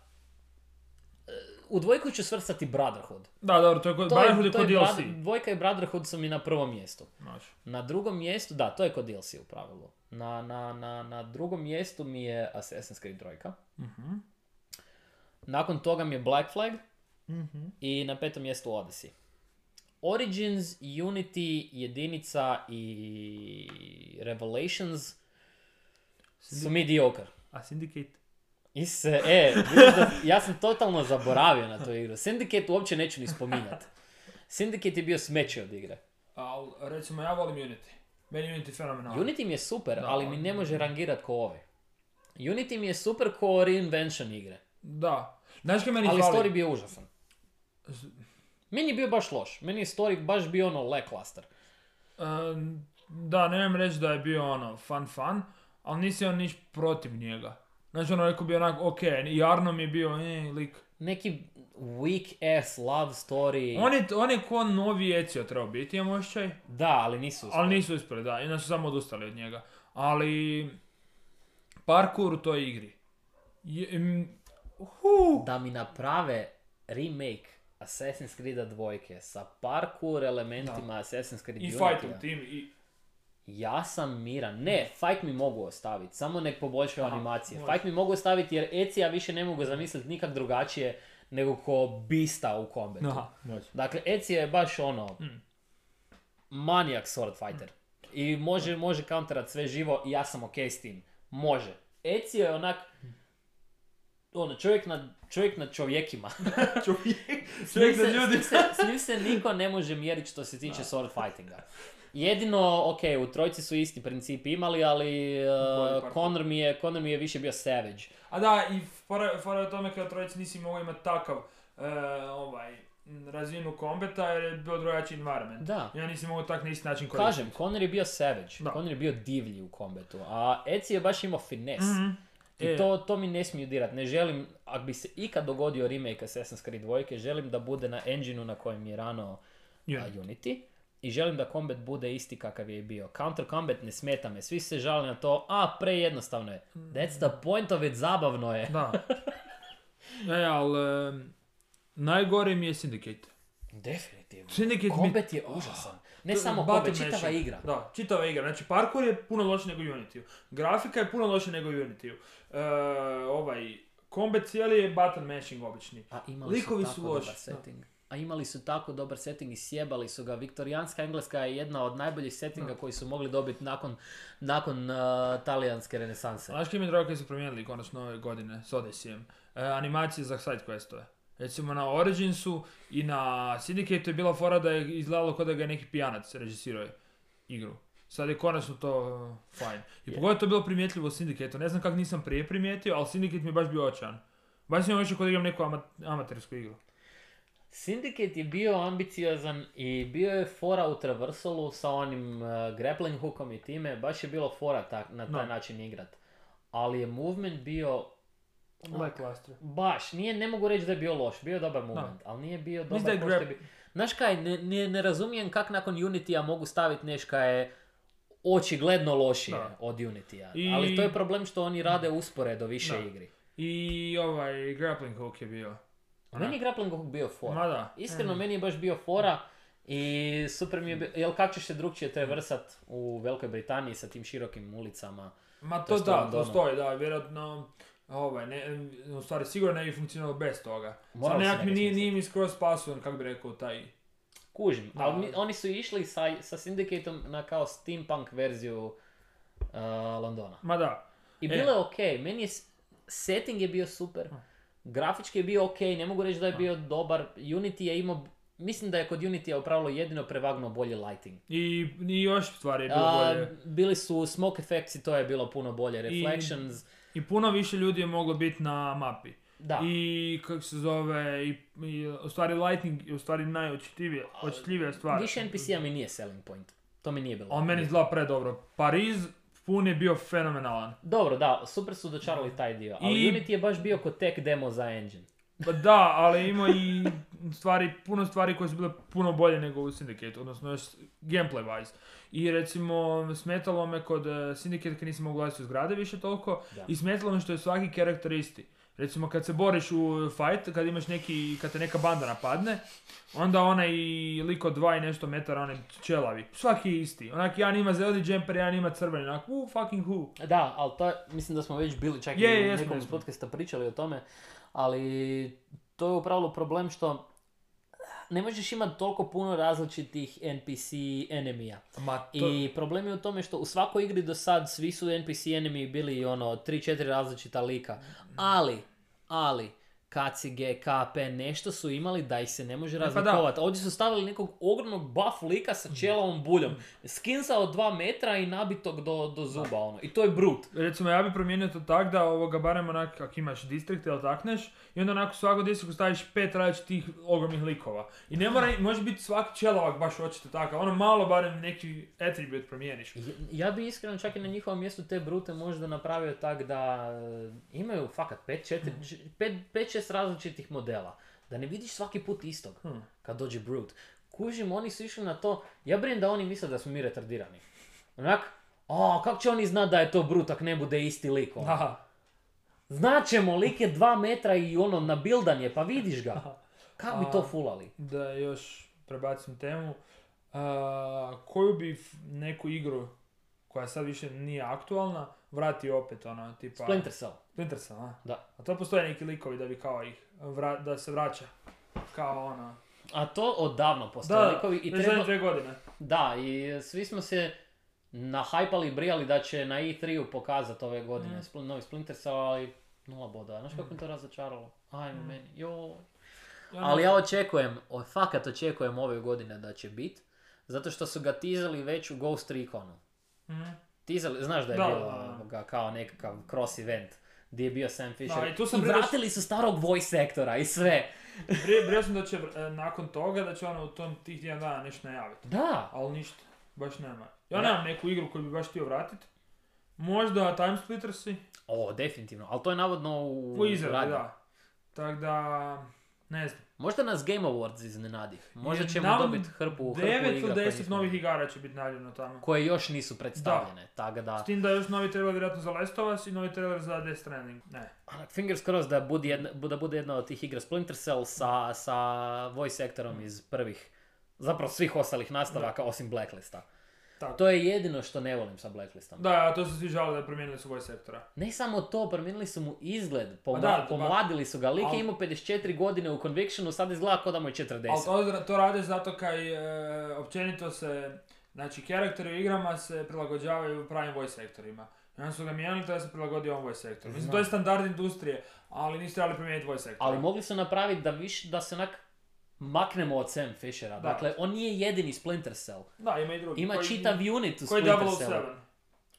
e, U dvojku ću svrstati Brotherhood.
Da, dobro, to je kod,
To
Brotherhood
je,
je
to
kod
je
D L C.
Brother- dvojka i Brotherhood su mi na prvom mjestu.
Može.
Na drugom mjestu, da, to je kod D L C u pravilu. Na, na, na, na drugom mjestu mi je Assassin's Creed trojka.
Mhm.
Nakon toga mi je Black Flag.
Mhm.
I na petom mjestu Odyssey. Origins, Unity, Jedinica i Revelations su mediocre.
A Syndicate?
Ise, e, vidiš da, ja sam totalno zaboravio na tu igru. Syndicate uopće neću ni spominjati. Syndicate je bio smeće od igre.
Al, recimo, ja volim Unity. Meni je Unity fenomenalno.
Unity mi je super,
Da,
ali mi ne može rangirat ko ove. Unity mi je super ko reinvention igre.
Da. Znaš kaj meni
Ali
fali?
story bio užasan. Meni je bio baš loš. Meni je story baš bio ono lackluster.
Um, da, nemam reći da je bio ono fun fun, ali nisi on niš protiv njega. Znači ono neko bio onak, ok, i Arno mi je bio, eh, lik.
Neki weak ass love story.
On je, on je ko novi Ezio trebao biti, imam osjećaj.
Da, ali nisu uspjeli.
Ali nisu uspjeli, da, inače su samo odustali od njega. Ali, parkour u toj igri. Je, mm, hu,
Da mi naprave remake Assassin's Creed dvojke sa parkour elementima Assassin's Creed
I
Unity-a.
fightom tim, i...
Ja sam miran. Ne, fight mi mogu ostaviti, samo nek poboljšaju
Aha,
animacije.
može.
Fight mi mogu ostaviti jer Ezija više ne mogu zamisliti nikak drugačije nego ko Beasta u kombatu.
Aha, može.
Dakle, Ezio je baš ono,
Mm.
manijak sword fighter. I može, može counterat sve živo i ja sam ok s tim. Može. Ezio je onak, ono, čovjek nad, čovjek nad čovjekima.
Čovjek,
S
čovjek
njim
za
se-
ljudi.
s njim se- S njim se niko ne može mjeriti što se tiče sword fightinga. Jedino, ok, u trojci su isti principi imali, ali
Bolji
uh,
parkour.
Connor, mi je, Connor mi je više bio savage.
A da, i fora, fora je o tome kada trojici nisi mogao imati takav e, ovaj, m, razinu kombata jer je bio drugačiji environment.
Da.
Ja nisi mogao tak na isti način koristiti.
Kažem, Connor je bio savage,
Da.
Connor je bio divlji u kombatu, a Ezio je baš imao fines.
Mhm.
I
E.
to, to mi ne smiju dirat. Ne želim, ako bi se ikad dogodio remake Assassin's Creed dvojke, želim da bude na engineu na kojem je rano a,
Unity.
Unity. I želim da combat bude isti kakav je i bio. Counter combat ne smeta me. Svi se žale na to, a prejednostavno je. That's the point of it, zabavno je.
Da. E, ali em, najgore mi je Syndicate.
Definitivno.
Syndicate mi...
Combat je užasan. Ne samo
Battle
combat, čitava
mashing.
igra.
Da, čitava igra. Znači, parkour je puno loše nego u Unity-u. Grafika je puno loše nego u Unity-u. E, ovaj, combat cijeli je button mashing obični.
A imali
Likovi
su
su
tako
loši,
dobar
da.
setting. A imali su tako dobar setting i sjebali su ga. Viktorijanska Engleska je jedna od najboljih settinga
Da.
koji su mogli dobiti nakon, nakon uh, talijanske renesanse.
Znaš kaj mi je drago kad su promijenili konačno ove godine s Odysseyem? E, animacije za side questove. Recimo na Originsu i na Syndicate je bila fora da je izgledalo kao da ga je neki pijanac režisirao igru. Sad je konačno to uh, fajn. I
Je.
pogotovo to je bilo primjetljivo u Syndicate-u. Ne znam kako nisam prije primijetio, ali Syndicate mi je baš bio očajan. Baš sam još kod igram neku ama- amatersku igru.
Syndicate je bio ambiciozan i bio je fora u traversalu sa onim uh, grappling hookom i time. Baš je bilo fora tak, na taj
Da.
način igrat. Ali je movement bio
Lackluster.
Baš, nije, ne mogu reći da je bio loš, bio je dobar moment, ali nije bio dobar
Mislim da je
ko što je
grab-
bio. Znaš kaj, ne, ne, ne razumijem kak nakon Unity-a mogu staviti nešto je očigledno lošije
Da.
od Unity-a,
I-
ali to je problem što oni rade usporedo više
Da.
igri.
I ovaj grappling hook je bio.
Meni je grappling hook bio fora.
Ma da.
Iskreno,
Mm.
meni je baš bio fora i super mi je bio, jel kako ćeš se drugčije traversat u Velikoj Britaniji sa tim širokim ulicama?
Ma
To
to
je
da,
Londonu.
to stoji, da, vjerojatno, ovaj, ne, u stvari sigurno ne bi funkcionalo bez toga.
Moralo
Samo
se
nekak mi
nekad
nije,
smisliti.
nije mi skroz pasujem, kako bi rekao, taj...
Kužim,
Da.
ali mi- oni su išli sa, sa Syndicateom na kao steampunk verziju uh, Londona.
Ma da.
I
E.
bilo je okej, meni je, s- setting je bio super, grafički je bio okej, ne mogu reći da je bio dobar, Unity je imao, mislim da je kod Unity u pravilu jedino prevagnuo bolji lighting.
I, i još stvari je bilo
A,
bolje.
bili su smoke effects i to je bilo puno bolje, reflections,
I puno više ljudi je moglo biti na mapi.
da.
I kako se zove, i, i u stvari lightning je u stvari najočitljivija očitljivija stvar.
Više N P C-a mi nije selling point, to mi nije bilo.
On meni izgleda predobro. Pariz pun je bio fenomenalan.
Dobro, da, super su dočarali taj dio, ali
I-
Unity je baš bio kod tech demo za engine.
Pa da, ali ima i stvari, puno stvari koje su bile puno bolje nego u Syndicate, odnosno još gameplay wise. I recimo smetalo me kod uh, Syndicate kad nisam mogu gledati u zgrade više toliko
Da.
i smetalo me što je svaki karakter isti. Recimo kad se boriš u fight, kad imaš neki, kad te neka banda napadne, onda onaj lik od dva i nešto metara, onaj čelavi, svaki je isti. Onak jedan ima zeleni džemper, jedan ima crveni, onak, uh, fucking who.
Da, ali to je, mislim da smo već bili čak
Je,
i u
jesmo,
nekom iz
jesmo.
podcasta pričali o tome, ali to je upravo problem što ne možeš imati toliko puno različitih N P C enemija.
Ma to...
I problem je u tome što u svakoj igri do sad svi su N P C enemy bili ono tri četiri različita lika. Ali, ali, kacige, kape, nešto su imali da ih se ne može
pa da.
razlikovati. Ovdje su stavili nekog ogromnog buff lika sa ćelavom buljom. Skinsa od dva metra i nabitog do, do zuba, ono. I to je brut.
Recimo ja bi promijenio to tak da ovoga barem onak ako imaš distrikt ili takneš i onda onako u svakom distriktu staviš pet različitih ogromnih likova. I ne mora, može biti svaki čelovak baš očito takav, ono malo barem neki attribute promijeniš.
Ja- Ja bi iskreno čak i na njihovom mjestu te brute možda napravio tak da e, imaju fakat pet šest različitih modela. Da ne vidiš svaki put istog
Hmm.
kad dođe brute. Kužim, oni su išli na to, ja brinem da oni misle da smo mi retardirani. Onak, a kako će oni znat da je to brute ako ne bude isti lik? ono?
Aha.
Znaćemo, lik je dva metra i ono nabildan je, pa vidiš ga. Kako bi to
A-
fulali?
Da još prebacim temu. A, koju bi f- neku igru koja sad više nije aktualna vratio opet ono tipa...
Splinter Cell.
Splinter Cell, a?
Da.
A to postoje neki likovi da bi kao ih, vra- da se vraća. Kao ono...
A to odavno postoje
Da,
likovi i
već
treba...
zadnje dve godine.
Da, i svi smo se nahajpali i brijali da će na E tri-u pokazati ove godine
Mm.
spl- novi Splinter Cell, ali nula boda. Znaš kako mi to razočaralo? Ajme
Mm.
meni, joj.
Ja
Ali
ne-
ja očekujem, o, fakat očekujem ove godine da će bit, zato što su ga tizali već u Ghost Reconu.
Mhm.
Tizali, znaš da je
Da,
bilo
da, da.
ovoga kao nekakav cross event gdje je bio Sam Fisher.
Da, i tu sam
I
brio-
vratili su starog voice actora i sve.
Prije, prije sam da će e, nakon toga da će ono u tom tih tjedan dana nešto najaviti.
Da,
Ali ništa, baš nema. Ja
Da.
nemam neku igru koju bi baš htio vratiti. Možda Time Splittersi
o, definitivno, ali to je navodno u,
u izradi,
radnji.
da. Tako da, ne znam.
Možda nas Game Awards iznenadi. Možda
Je
ćemo
nam
dobiti hrpu, hrpu
devet
igra
ili
koje
deset
nismo
novih
imali.
igara će biti najavljeno tamo.
Koje još nisu predstavljene, tako da...
S tim da je još novi trailer vjerojatno za Last of Us i novi trailer za Death Stranding. Ne.
Fingers crossed da bude jedna, da bude jedna od tih igra Splinter Cell sa, sa voice actorom iz prvih, zapravo svih ostalih nastavaka osim Blacklista.
Tako.
To je jedino što ne volim sa Blacklistom.
Da, a to su svi žali da promijenili su voice sektora.
Ne samo to, promijenili su mu izgled, pomla-
Pa da,
pomladili su ga. Lik
al-
je imao pedeset četiri godine u Convictionu, sad izgleda kao da mu je četrdeset.
Ali to, to rade zato kaj e, općenito se, znači karakteri u igrama se prilagođavaju pravim voice sektorima. I onda su ga mijenjali da se prilagodi ovom voice sektoru. Mislim,
Znam.
to je standard industrije, ali niste trebali promijeniti voice sektor.
Ali mogli su napraviti da, viš, da se onak maknemo od Sam Fishera.
Da.
Dakle, on nije jedini Splinter Cell.
Da, ima i drugi.
Ima
koji,
čitav unit u
koji
Splinter
double oh
Cellu.
seven.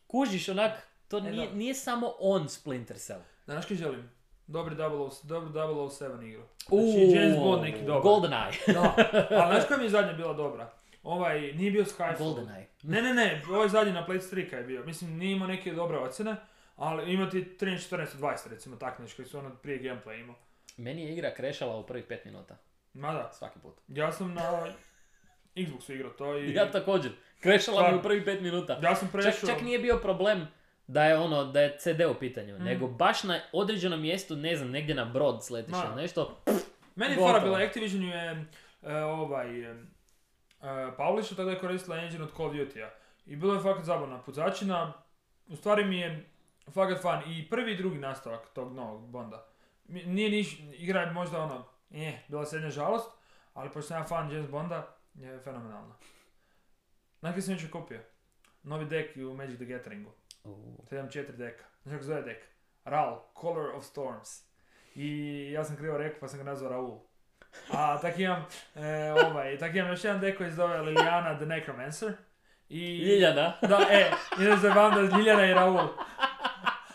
Kužiš, onak, to
E,
nije,
da.
nije samo on Splinter Cell.
Znaš kaj želim? Dobri double oh, dobru double oh seven igru.
Uuu,
Znači James Bond neki dobar.
GoldenEye.
Da, ali znaš koja mi je zadnja bila dobra? Ovaj, nije bio Skyfall.
GoldenEye.
Ne, ne, ne, ovaj zadnji na PlayStation tri je bio. Mislim, nije imao neke dobre ocjene, ali ima ti trinaest, četrnaest, dvadeset recimo tak nešto koji su ono prije gameplay imao.
Meni je igra krešala u prvih pet minuta.
Ma da,
Svaki put.
ja sam na Xboxu igrao to i...
Ja također. Krešala mi u prvih pet minuta.
Ja sam
Čak,
prešao...
čak nije bio problem da je ono, da je C D u pitanju,
Mm.
nego baš na određenom mjestu, ne znam, negdje na brod sletiš
Ma.
ili nešto.
Meni je
Gotovo.
fora bila, Activision je e, ovaj, e, publisher, tada je koristila engine od Call of Duty-a. I bilo je fakat zabavna pucačina, u stvari mi je fakat fan i prvi i drugi nastavak tog novog Bonda. Mi- Nije niš, igra je možda ono, eh, bila srednja žalost, ali pošto sam ja fan James Bonda, je fenomenalno. Znaš kaj sam jučer kupio? Novi dek u Magic the Gatheringu. sedam četiri deka. Znaš kako zove dek? Raul, Color of Storms. I ja sam krivo rekao pa sam ga nazvao Raul. A tak imam, e, ovaj, tak imam još jedan dek koji se zove Liliana the Necromancer. I...
Ljiljana.
Da, e, i onda se zajebavamo da je Ljiljana i Raul.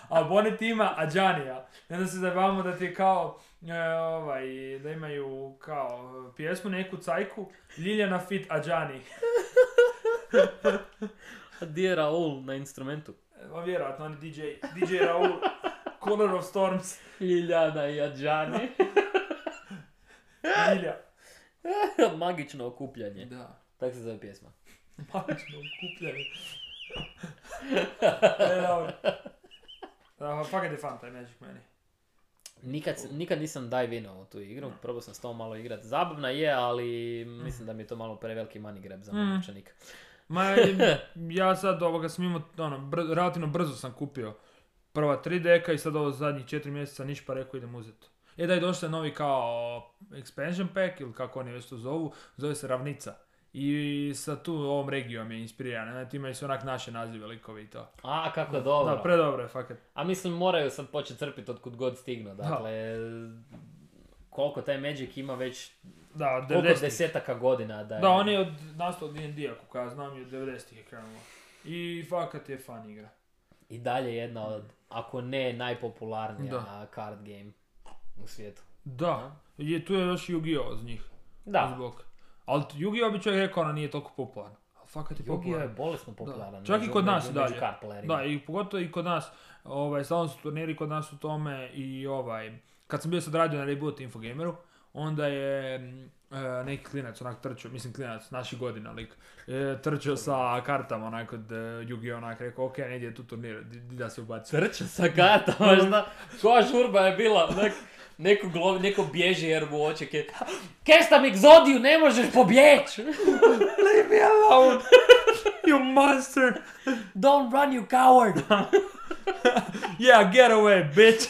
A Bonnet ima Adjanija. I onda se zajebavamo da ti je kao, e, ovaj, da imaju kao pjesmu neku cajku, Ljiljana fit Adjani.
A di je Raul na instrumentu?
Ma vjerojatno, on je D J, D J Raul, Color of Storms,
Ljiljana i Adjani.
Lilja.
Magično okupljanje.
Da.
Tak se zove pjesma.
Magično okupljanje. E, dobro. Da, fakat je fan taj Magic meni.
Nikad, nikad nisam dive inao u tu igru, probao sam s tom malo igrat. Zabavna je, ali mislim da mi je to malo preveliki money grab za
Mm.
moj novčanik.
Ma, ja sad ovoga sam imao, ono, br- relativno brzo sam kupio prva tri deka i sad ovo zadnjih četiri mjeseca niš pa rekao idem uzeti. E da je došao novi kao expansion pack ili kako oni već to zovu, zove se Ravnica. I sa tu ovom regijom je inspiriran, znači imaju se onak naše nazive likovi i to.
A, kako dobro.
Da, predobro je, fakat.
A mislim, moraju sad početi crpiti od kud god stignu. Dakle, koliko taj Magic ima već,
Da, od
koliko
devedesetih.
desetaka godina da je...
Da, on je od nastao od D and D-a, kako ja znam, i od devedesetih je krenulo. I fakat je fan igra.
I dalje jedna od, ako ne najpopularnija
Da.
card game u svijetu.
Da, je, tu je još Yu-Gi-Oh od njih.
Da,
Zbog. Ali Yu-Gi-Oh bi čovjek rekao, ona nije toliko popularan. Ali fakat je
Yu-Gi-Oh je
popularan.
bolesno popularan.
Čak i
među-
kod nas
među-
i dalje.
među card playerima.
Da, i pogotovo i kod nas, ovaj, stalno su turniri kod nas u tome i ovaj, kad sam bio sad radio na Reboot Infogameru, onda je mm, e, neki klinac onak trčao, mislim klinac, naših godina lik, e, trčao sa kartama onak od e, Yu-Gi-Oh onak, rekao, ok, ne ide tu turnir, di, di da se ubaci.
Trča sa kartama, šta? Koja žurba je bila? Nek, neko, glo, neko bježi jer mu oček je... Kestam egzodiju, ne možeš pobjeći!
Leave me alone, you monster!
Don't run, you coward!
Yeah, get away, bitch!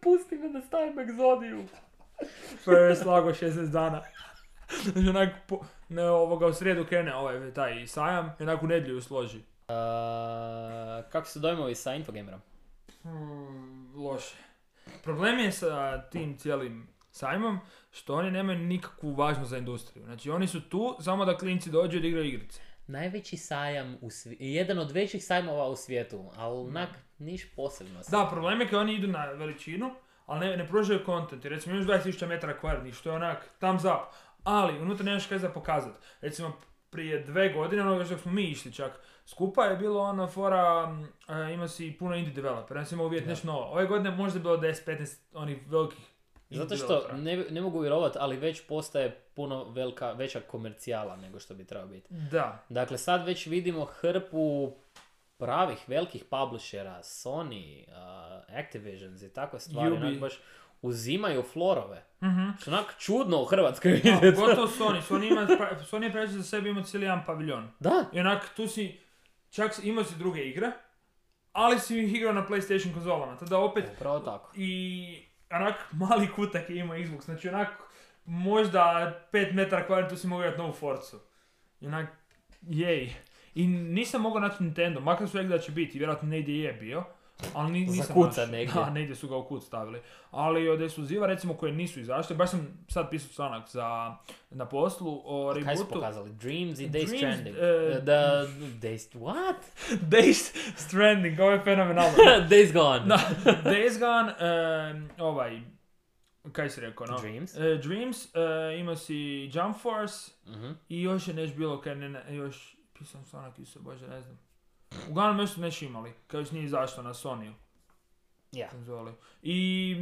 Pusti me da stavim egzodiju.
Prvo slago šesnaest dana. Znači onak, po, ne, ovoga u srijedu krene ovaj taj sajam i onak u nedjelju ju složi.
Uh, kako su dojmovi sa Infogamerom?
Hmm, loše. Problem je sa tim cijelim sajmom što oni nemaju nikakvu važnost za industriju. Znači oni su tu samo da klinci dođu i da igraju igrice.
Najveći sajam u svijetu, jedan od većih sajmova u svijetu, ali onak niš posebno.
Da, problem je kad oni idu na veličinu, ali ne, ne pružaju content. Recimo imaš dvadeset tisuća metara kvadratnih, što je onak thumbs up. Ali unutra nemaš kaj za pokazat. Recimo prije dve godine, ono što smo mi išli čak skupa, je bilo ono fora, uh, ima si puno indie developera, ja sam imao uvijeti
Da.
nešto novo. Ove godine možda je bilo deset petnaest onih velikih indie
Zato što
developera.
ne, ne mogu vjerovati, ali već postaje puno velika, veća komercijala nego što bi trebao biti.
Da.
Dakle, sad već vidimo hrpu pravih velikih publishera, Sony, uh, Activisions i takve stvari,
Ubi.
onak baš uzimaju florove.
Mhm.
Što onak čudno u Hrvatskoj
A,
vidjeti.
pogotovo Sony. Sony, ima, pra- Sony je preći za sebe imao cijeli jedan paviljon.
Da,
I onak tu si, čak si- imao si druge igre, ali si ih igrao na PlayStation konzolama. Tada opet
upravo tako.
i onak mali kutak je imao Xbox. Znači onak možda pet metara kvadratnih tu si mogao igrati novu Forcu. I onak, jej. I nisam mogao naći Nintendo, makar su rekli da će biti, vjerojatno negdje je bio. Ali ni, nisam
Zakucan
našao.
negdje.
Da, negdje su ga u kut stavili. Ali od ekskluziva, recimo, koje nisu izašle, baš sam sad pisao članak za, na poslu o
Kaj su
rebootu.
pokazali? Dreams i Days
Dreams,
Stranding.
eh,
Da, Days, what?
Days Stranding, ovo je fenomenalno.
Days Gone.
Da, Days Gone, um, ovaj, kaj si rekao, no?
Dreams.
E, Dreams, uh, ima si Jump Force
Mhm.
i još je nešto bilo, kaj ne, ne, još, pisam članak isto, bože, ne znam. Uglavnom još su nešto imali, kao još nije izašlo na Sony-u.
Ja.
konzoli. I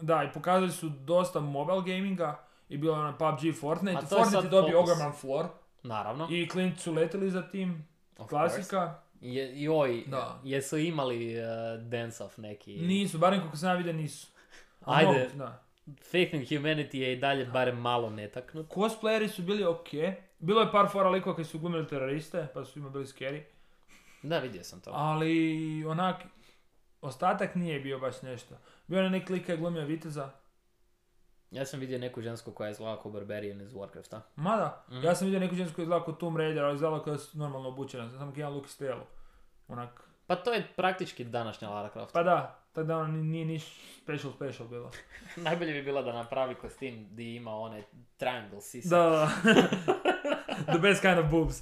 da, i pokazali su dosta mobile gaminga i bilo je onaj P U B G, Fortnite.
A to je
Fortnite
sad
je dobio
fokus.
ogroman floor
Naravno.
i klinci su letili za tim,
Of
klasika.
Je, joj,
Da.
jesu imali uh, dance-off neki?
Nisu, barem kako sam ja vidio nisu. A
Ajde.
mogu, da.
Faith in Humanity je i dalje barem malo netaknut.
Cosplayeri su bili ok. Bilo je par fora likova koji su glumili teroriste, pa su ima bili scary.
Da, vidio sam to.
Ali onak, ostatak nije bio baš nešto. Bio je neki lik koji je glumio viteza.
Ja sam vidio neku žensku koja je izgledala kao Barbarian iz Warcrafta.
Mada,
Mhm.
ja sam vidio neku žensku koji je izgledala kao Tomb Raider, ali izgledala kao da su normalno obučena. Samo jedan luk iz tijelu. Onak,
Pa to je praktički današnja Lara Croft.
pa da, tako da ono ni- nije niš special special bilo.
Najbolje bi bilo da napravi kostim gdje ima one triangle sise.
Da, da. The best kind of boobs.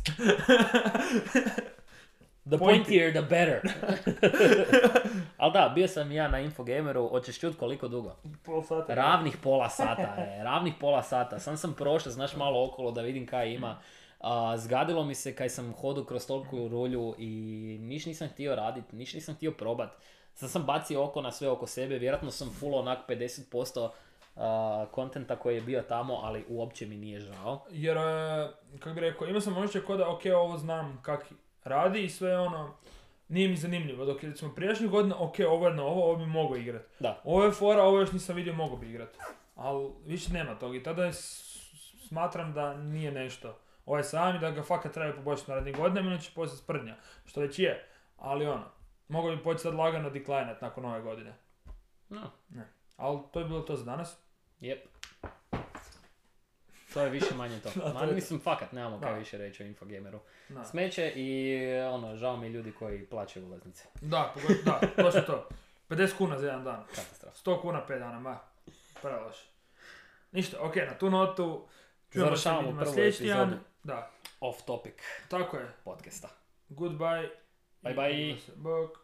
The pointier the better. Ali da, bio sam ja na Infogameru, hoćeš čut koliko dugo?
Pol sata.
Ravnih pola sata je, ravnih pola sata. Sam sam prošao, znaš, malo okolo da vidim kaj ima. A, zgadilo mi se kaj sam hodao kroz toliku rulju i niš nisam htio radit, niš nisam htio probat. Sad sam bacio oko na sve oko sebe, vjerojatno sam full onak pedeset posto kontenta koji je bio tamo, ali uopće mi nije žao.
Jer, e, kako bi rekao, imao sam osjećaj kao da, ok, ovo znam kak radi i sve ono, nije mi zanimljivo. Dok je, recimo, prijašnjih godina, ok, ovo je novo, ovo bi mogao igrat.
Da.
Ovo je fora, ovo još nisam vidio, mogao bi igrat. Ali više nema toga i tada je s- smatram da nije nešto. Ovo je sam i da ga fakat treba poboljšati narednih godina, inače poslije sprdnja. Što već je, ali ono, mogao bi početi sad lagano deklinat nakon ove godine.
No,
Ali to je bilo to za danas.
yep. To je više manje to.
Da, to
Ma,
je to.
mislim, fakat, nemamo kaj
Da.
više reći o Infogameru.
Da.
Smeće i ono, žao mi je ljudi koji plaćaju ulaznice.
Da, pogod- da, to je to. pedeset kuna za jedan dan.
Katastrofa.
sto kuna pet dana, ma. Preloše. Ništa, ok, na tu notu. Čujemo se
Završavamo
vidimo
prvu
sljedeći tjedan.
epizodu.
Da,
Off topic
tako je.
podcasta.
Goodbye.
Bye bye.
I vidimo se. Bok.